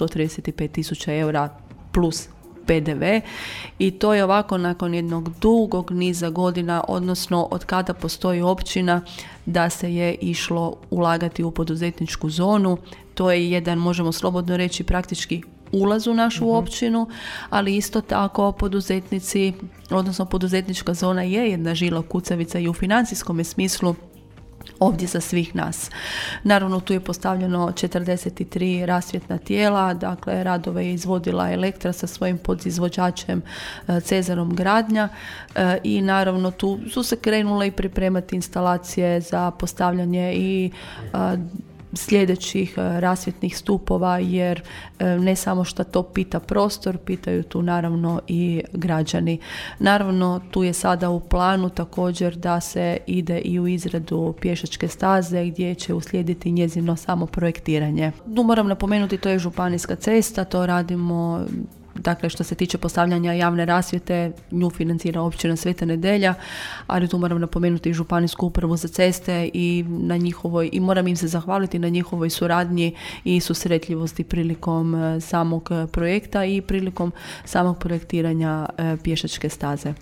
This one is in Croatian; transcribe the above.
135.000 eura plus PDV i to je ovako nakon jednog dugog niza godina, odnosno od kada postoji općina da se je išlo ulagati u poduzetničku zonu. To je jedan, možemo slobodno reći, praktički ulaz u našu općinu, ali isto tako poduzetnici, odnosno poduzetnička zona je jedna žila kucavica i u financijskom smislu ovdje za svih nas. Naravno, tu je postavljeno 43 rasvjetna tijela, dakle radove je izvodila Elektra sa svojim podizvođačem Cezarom Gradnja i naravno tu su se krenule i pripremati instalacije za postavljanje i sljedećih rasvjetnih stupova, jer ne samo što to pita prostor, pitaju tu naravno i građani. Naravno, tu je sada u planu također da se ide i u izradu pješačke staze gdje će uslijediti njezino samo projektiranje. Tu moram napomenuti, to je županijska cesta, to radimo. Dakle, što se tiče postavljanja javne rasvjete, nju financira općina Sveta Nedelja, ali tu moram napomenuti i županijsku upravu za ceste i na njihovoj, i moram im se zahvaliti na njihovoj suradnji i susretljivosti prilikom samog projekta i prilikom samog projektiranja pješačke staze.